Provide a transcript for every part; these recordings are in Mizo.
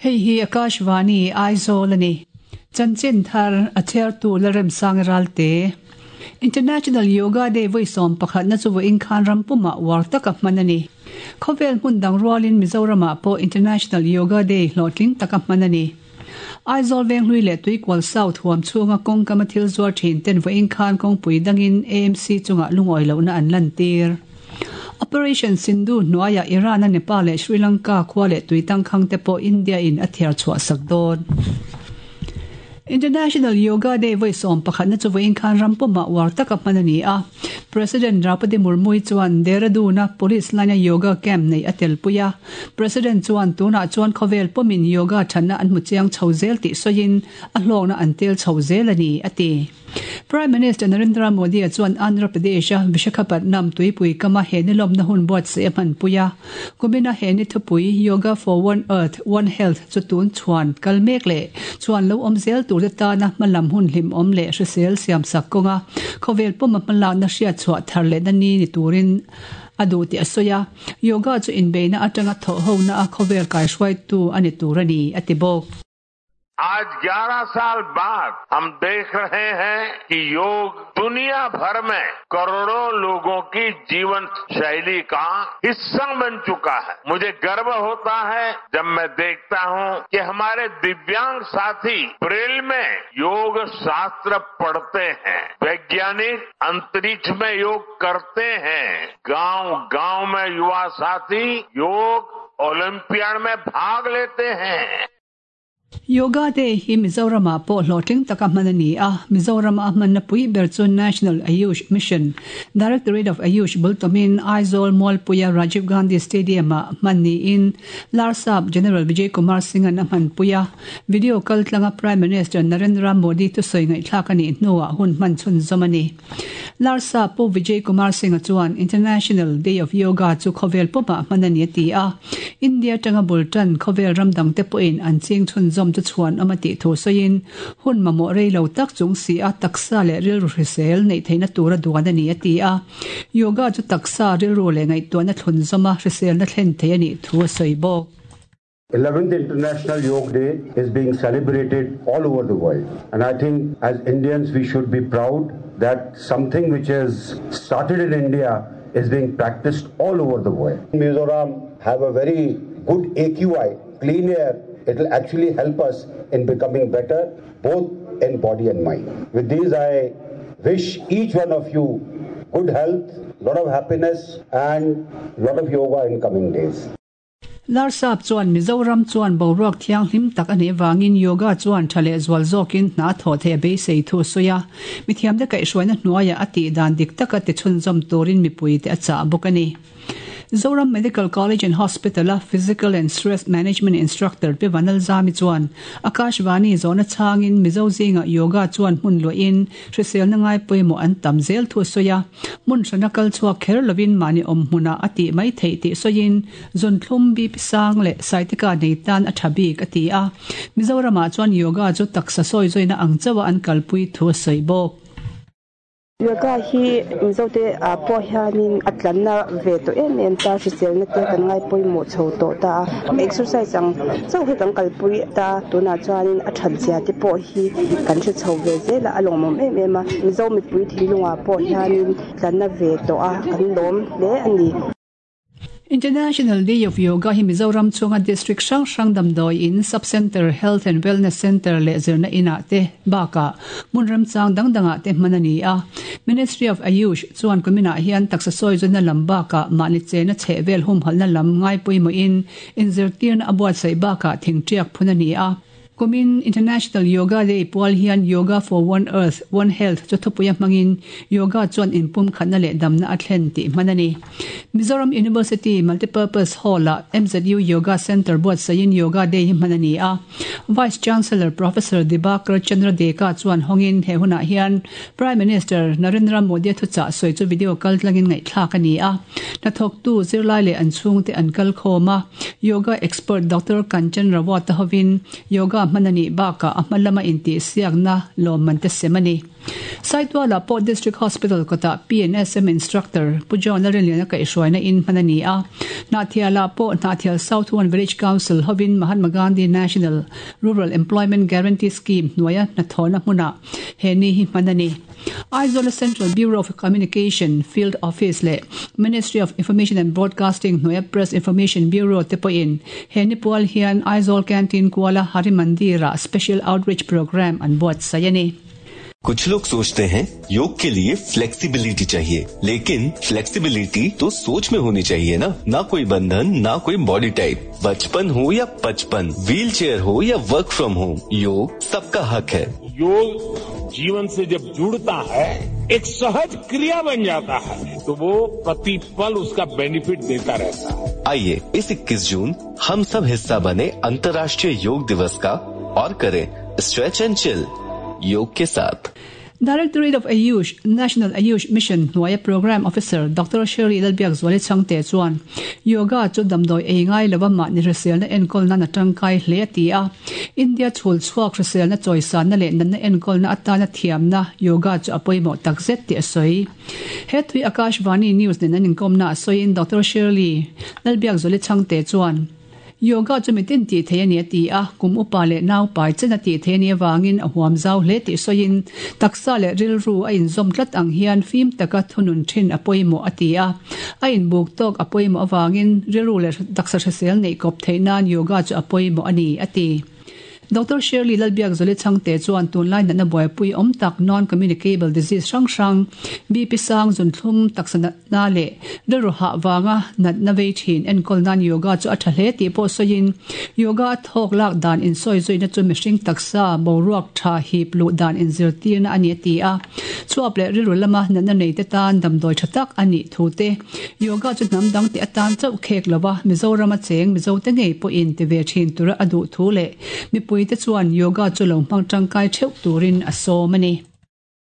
Hei hi Akashvani, Aizawl a ni. Chanchin thar a chhiartu Lalremsang Ralte. International Yoga Day vawi 11na chu vawiin khan ram pumah uar taka hman a ni. Khawvel hmun dang rualin Mizoramah pawh International Yoga Day hlawhtling taka hman a ni. Aizawl Venghlui leh Tuikual South huam chhunga kawngkama thil zuar thin ten vawiin khan kawngpui dangin AMC chungah lungawi lohna an lantir. Operation Sindhu hnuaiah Iran-a Nepal leh Sri Lanka khua leh tui tangkhang te pawh India-in a thiar chhuah sak dawn. International Yoga Day vawi 11na chu vawiin khan ram pumah uar taka hman a ni a. President Draupadi Murmu-i chuan Dehradun-a Police line-a yoga camp neih a telpui a. President chuan tunah chuan khawvel pawmin yoga thatna an hmu chiang chho zel tih sawiin a hlawkna an tel chho zel a ni, a ti. Prime Minister Narendra Modi-a chuan Andhra Pradesh-a Vishakhapatnam tuipui kama he ni lawmna hun buatsaih a hmanpui a. Kumina he ni thupui Yoga for One Earth, One Health chu tun chhuan kal mek leh chuan lo awm zel turte tana hmalam hun hlimawm leh hrisel siamsak kawnga khawvel pawma hmalakna hriatchhuah thar lehna ni ni turin a duh tih a sawi a. Yoga chu inbeihna atanga thawhhona a khawvel kaihruaitu a ni tur a ni, a ti bawk. आज 11 साल बाद हम देख रहे हैं कि योग दुनिया भर में करोड़ों लोगों की जीवन शैली का हिस्सा बन चुका है। मुझे गर्व होता है जब मैं देखता हूं कि हमारे दिव्यांग साथी ब्रेल में योग शास्त्र पढ़ते हैं, वैज्ञानिक अंतरिक्ष में योग करते हैं, गांव-गांव में युवा साथी योग ओलंपियाड में भाग लेते हैं। Yoga Day hi Mizoramah pawh hlawhtling taka hman a ni a, Mizorama a hmanna pui ber chu National Ayush Mission, Directorate of Ayush bul tawmin Aizawl Mualpuia Rajiv Gandhi Stadium-ah hman niin Larsap General Vijay Kumar Singh-a'n a hmanpui a, video kaltlanga Prime Minister Narendra Modi thusawi ngaihthlak a nih hnuah hun hman chhunzawm a ni. Larsa Pu Vijay Kumar Singh-a chuan International Day of Yoga chu khawvel pawmah hman a ni a ti a, India atanga bul tan khawvel ram dangte pawhin an ching chhunzawm chu chhuan awm a tih thu sawiin hun mamawh rei lo tak chung si a taksa leh rilru hrisel neih theihna tura duan a ni a ti a, Yoga chu taksa, rilru leh ngaihtuahna thlunzawma hriselna thlen thei a nih thu a sawi bawk. 11th International Yoga Day is being celebrated all over the world. And I think as Indians we should be proud that something which has started in India is being practiced all over the world. Mizoram have a very good AQI, clean air. It will actually help us in becoming better, both in body and mind. With these, I wish each one of you good health, lot of happiness and lot of yoga in coming days. Larsap chuan Mizoram chuan boruak thianghlim tak a nih avangin yoga chuan tha leh zual zawkin hna thawh theih a beisei thu a sawi a. Mithiamte kaihhruaina hnuaiah a tih dan dik taka tichhunzawm turin mipuite a chah bawk a ni. Zoram Medical College and Hospital-a Physical and Stress Management Instructor Pi Vanalzami chuan Akashvani zawhna chhangin Mizo zingah yoga chuan hmun luahin Hriselna ngai pawimawh an tam zel thu a sawi a, hmun hrana kal chhuak kher lovin mahni awm hmunah a tih mai theih tih sawiin Zunthlum, BP sang leh Saitika nei tan a tha bik a ti a. Mizoramah chuan yoga chu taksa sawi zawina ang chauha an kalpui thu a sawi bawk. Yoga hi Mizote ah pawh hianin a tlanna ve tawh em em ta, hriselna te kan ngai pawimawh chho tawh ta a, exercise ang chauh hi kan kalpui ta, tunah chuanin a that zia te pawh hi kan hre chho ve zel a, a lawmawm em em a, Mizo mipui thinlungah pawh hianin tlanna ve tawh a, kan lawm hle a ni. International Day of Yoga hi Mizoram chhunga District hrang hrang damdawi in, Sub Centre, Health and Wellness Centre leh zirna inah te bakah hmun remchang dang dangah te hman a ni a. Ministry of Ayush chuan kuminah hian taksa sawi zawna lam bakah mahni chena chhehvel humhalhna lam ngaipawimawhin inzirtirna a buatsaih bakah thingtiak phun a ni a. Kumin International Yoga Day pual hian Yoga for One Earth, One Health chu thupuia hmangin yoga chuan inpumkhatna leh damna a thlen tih hman a ni. Mizoram University Multipurpose Hall-ah MZU Yoga Centre buatsaihin Yoga Day hi hman a ni a. Vice Chancellor Professor Dibakar Chandra Deka chuan hawngin he hunah hian Prime Minister Narendra Modi-a thuchah sawi chu video kaltlangin ngaihthlak a ni a. Hnathawktu zirlai leh an chhungte an kal khawm a, Yoga expert Doctor Kanchan Rawat-a hovin yoga hman a nih bakah a hma lama intihsiakna lawmman te sem a ni. Saitualah pawh District Hospital kawtah PNSM Instructor Pu John Lalrinliana kaihhruaina in hman a ni a. Hnahthialah pawh Hnahthial South One Village Council hovin Mahatma Gandhi National Rural Employment Guarantee Scheme hnuaia hnathawhna hmunah he ni hi hman a ni. Aizawla Central Bureau of Communication Field Office leh Ministry of Information and Broadcasting hnuaia Press Information Bureau te pawhin he ni pual hian Aizawl Canteen kuala Hari Mandir-ah Special Outreach Programme an buatsaih a ni. कुछ लोग सोचते हैं योग के लिए flexibility चाहिए लेकिन flexibility तो सोच में होनी चाहिए ना ना कोई बंधन ना कोई बॉडी टाइप बचपन हो या पचपन व्हील चेयर हो या work from home योग सबका हक है योग जीवन से जब जुड़ता है एक सहज क्रिया बन जाता है तो वो प्रतिपल उसका बेनिफिट देता रहता है आइए इस 21 जून हम सब हिस्सा बने अंतर्राष्ट्रीय योग दिवस का और करें stretch and chill योग के साथ Directorate of Ayush, National Ayush Mission hnuaia Programme Officer Doctor Shirley Lalbiakzuali Chhangte chuan Yoga chu damdawi ei ngai lova mahni hriselna enkawl nan a tangkai hle a ti a. India chhul chhuak hriselna chawisanna leh natna enkawlna atana thiamna Yoga chu a pawimawh takzet tih a sawi. He thui Akashvani News nen an inkawmna a sawiin Doctor Shirley Lalbiakzuali Chhangte chuan Yoga chu mitin tih theih a ni a ti a, kum upa leh naupai chen a tih theih a nih avangin a huam zau hle tih sawiin taksa leh rilru a inzawm tlat ang hian fim taka thunun thin a pawimawh a ti a. A inbuk tawk a pawimawh avangin rilru leh taksa hrisel neih kawp theih nan yoga chu a pawimawh a ni a ti. Doctor Shirley Lalbiakzawli Chhangte chuan tunlai natna buaipui awm tak non-communicable disease hrang hrang, BP sang, zunthlum, taksa natna leh rilru hah vanga natna vei thin enkawl nan yoga chu a tha hle tih pawh sawiin yoga a thawk lak dan insawi zuina chu mihring taksa boruak tha hip luh dan inzirtirna a ni a ti a. Chhuap leh rilru lama natna neite tan damdawi tha tak a nih thu te, yoga chu hnam dang tih atan chauh khek lova Mizorama cheng Mizote ngei pawhin ti ve thin tura a duh thu leh mipuite chuan yoga chu lo hmang tangkai theuh turin a sawm a ni.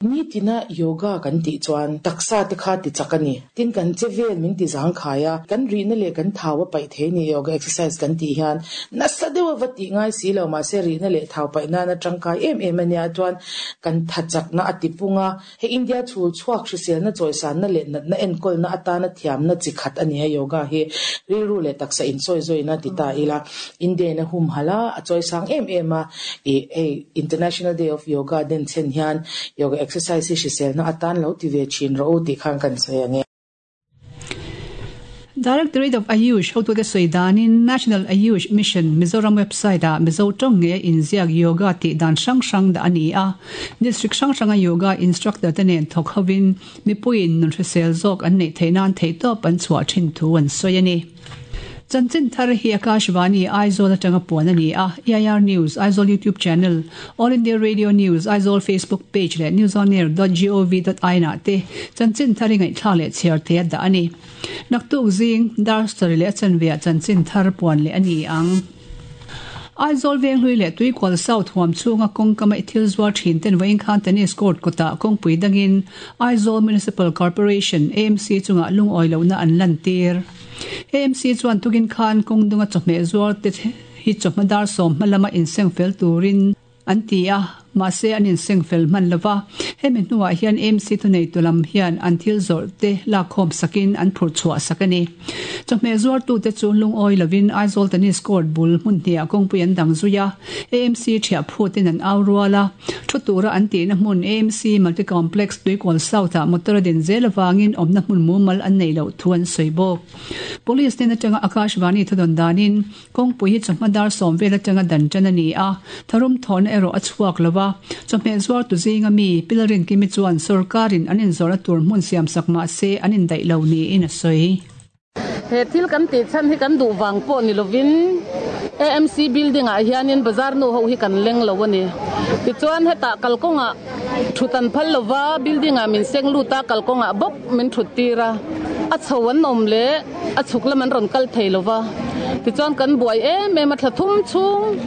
Nitina yoga kan tih chuan taksa te kha ti chak a ni. Tin kan che vel min ti zangkhai a, kan rihna leh kan thau a paih thei a ni yoga exercise kan tih hian nasa deuh a va tih ngai si lo mahse rihna leh thau paih nana tangkai em em a nia chuan kan tha chakna a ti pung a. He India chhul chhuak hriselna chawisanna leh natna enkawlna atana thiamna chi khat a ni a yoga hi rilru leh taksa insawizawiin a ti ta ila India in a humhalh a, a chawisang em em a ih hei International Day of Yoga den chhen hian yoga exercise hi hriselna atan lo ti ve thin rawh u tih khan kan sawi ang e. Directorate of Ayush hotute sawi danin National Ayush Mission Mizoram website-ah Mizo tawng ngeia inziak yoga tih dan hrang hrang dah a ni a. District hrang hranga yoga instructor te nen thawk hovin mipuiin nun hrisel zawk an neih theih nan theihtawp an chhuah thin thu an sawi a ni. Chanchin thar hi Akashvani Aizawl atanga puan a ni a, EIR News, Aizawl YouTube Channel, All India Radio News, Aizawl Facebook Page leh newsonair dot gov dot in ah te chanchin thar hi ngaihthlak leh chhiar thei a dah a ni. Naktuk zing, dar sarih leh a chanve ah chanchin thar puan leh a ni ang. Aizawl Venghlui leh Tuikual South huam chhunga kawngkama i thil zuar thin ten vawiin khan Tennis Court kawtah kawngpui dangin Aizawl Municipal Corporation, AMC, chungah lungawi lohna an lantir. AMC chuan tukin khan kawng dunga chawhmeh zuar te hi chawhma dar sawm hma lama inseng fel turin an ti a, mahse an inseng fel hman lo va. Hemi hnuah hian AMC thuneitu lam hian an thil zawrh te lakkhawm sakin an phurh chhuah sak a ni. Chawhmeh zuartute chu lungawi lovin Aizawl Tennis Court bul hmun hniah kawngpui an dang zui a, AMC thiah phutin an au rual a. Thu tura an tihna hmun AMC Multi Complex Tuikual South-ah motor a din zel avangin awmna hmun mumal an neih loh thu an sawi bawk. Police hnen atanga Akashvani thudawn danin Kawngpui hi chawhma dar sawm vel atanga dan tan a ni a, tharum thawhna erawh a chhuak lo a. Chawhmeh zuartu zinga mi, Pilarin Kimi chuan sorkarin an inzawrhna tur hmun siamsak mah se an indaih lo niin a sawi. He thil kan tih chhan hi kan duh vang pawh ni lovin AMC building ah hianin bazar nu ho hi kan leng lo a ni. Tichuan hetah kalkawngah thut an phal lova, building ah min seng lut a, kalkawngah bawk min thut tir a, a chho an awm leh a chhuk lam an rawn kal thei lova. Tichuan kan buai em em a, thla thum chhung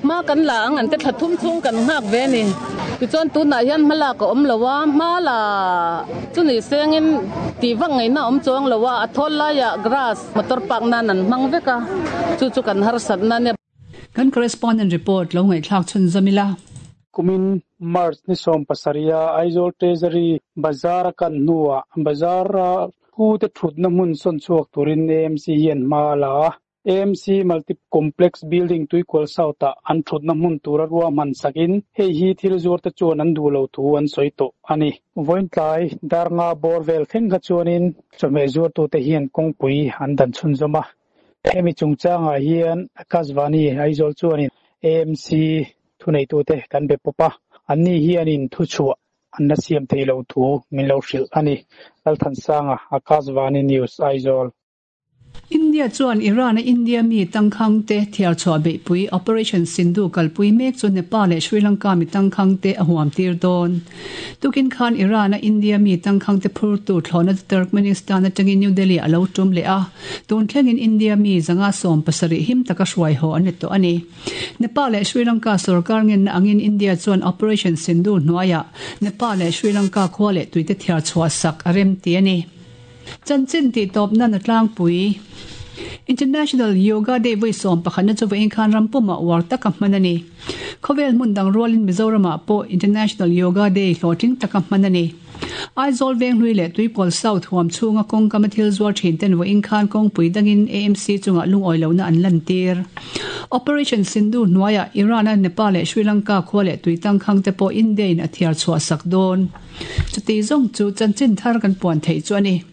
hma kan la ang an te thla thum chhung kan nghak ve a ni. Tichuan tunah hian hma lak a awm lo a, hma la chu ni sengin tih vak ngaihna a awm chuang lo a, a thawl laiah grass motor park nan an hmang vek a, chu chu kan harsatna a nia. Kan correspondent report lo ngaihthlak chhunzawm ila. Kumin March ni 17 a Aizawl Treasury Bazar a kan hnuah Bazar a pu te thutna hmun sawn chhuak turin AMC hian hma a la a. AMC Multi Complex Building Tuikual South ah an thutna hmun tura ruahman sakin hei hi thil zuar te chuan an duh lo thu an sawi tawh a ni. Vawiin tlai dar nga bawr vel thleng kha chuanin chawhmeh zuartute hian kawngpui an dan chhunzawm a. Hemi chungchangah hian Akashvani Aizawl chuanin AMC thuneitute kan be pawp a, anni hianin thuchhuah an la siam thei lo thu min lo hrilh a ni. Lalthansanga, Akashvani News, Aizawl. India chuan Iran-a India mi tangkhangte thiar chhuah beihpui Operation Sindhu kalpui mek chu Nepal leh Sri Lanka mi tangkhangte a huam tir dawn. Tukin khan Iran-a India mi tangkhangte phurtu thlawhna chu Turkmenistan atangin New Delhi a lo tum leh a, tun thlengin India mi 170 him taka hruai haw an ni tawh a ni. Nepal leh Sri Lanka sorkar ngenna angin India chuan Operation Sindoor hnuaiah Nepal leh Sri Lanka khua leh tuite thiar chhuah sak a rem ti a ni. Chanchin tih tawp nan a tlangpui. International Yoga Day vawi 11 na chu vawiin khan ram pumah uar taka hman a ni. Khawvel hmun dang rualin Mizoramah pawh International Yoga Day hlawhtling taka hman a ni. Aizawl Venghlui leh Tuipawl South huam chhunga kawngkama thil zuar thin ten vawiin khan kawngpui dangin AMC chungah lungawi lohna an lantir. Operation Sindoor hnuaiah Iran-a Nepal leh Sri Lanka khua leh tui tangkhang te pawh India-in a thiar chhuah sak dawn. Chuti zawng chu chanchin thar kan puan theih chu a ni.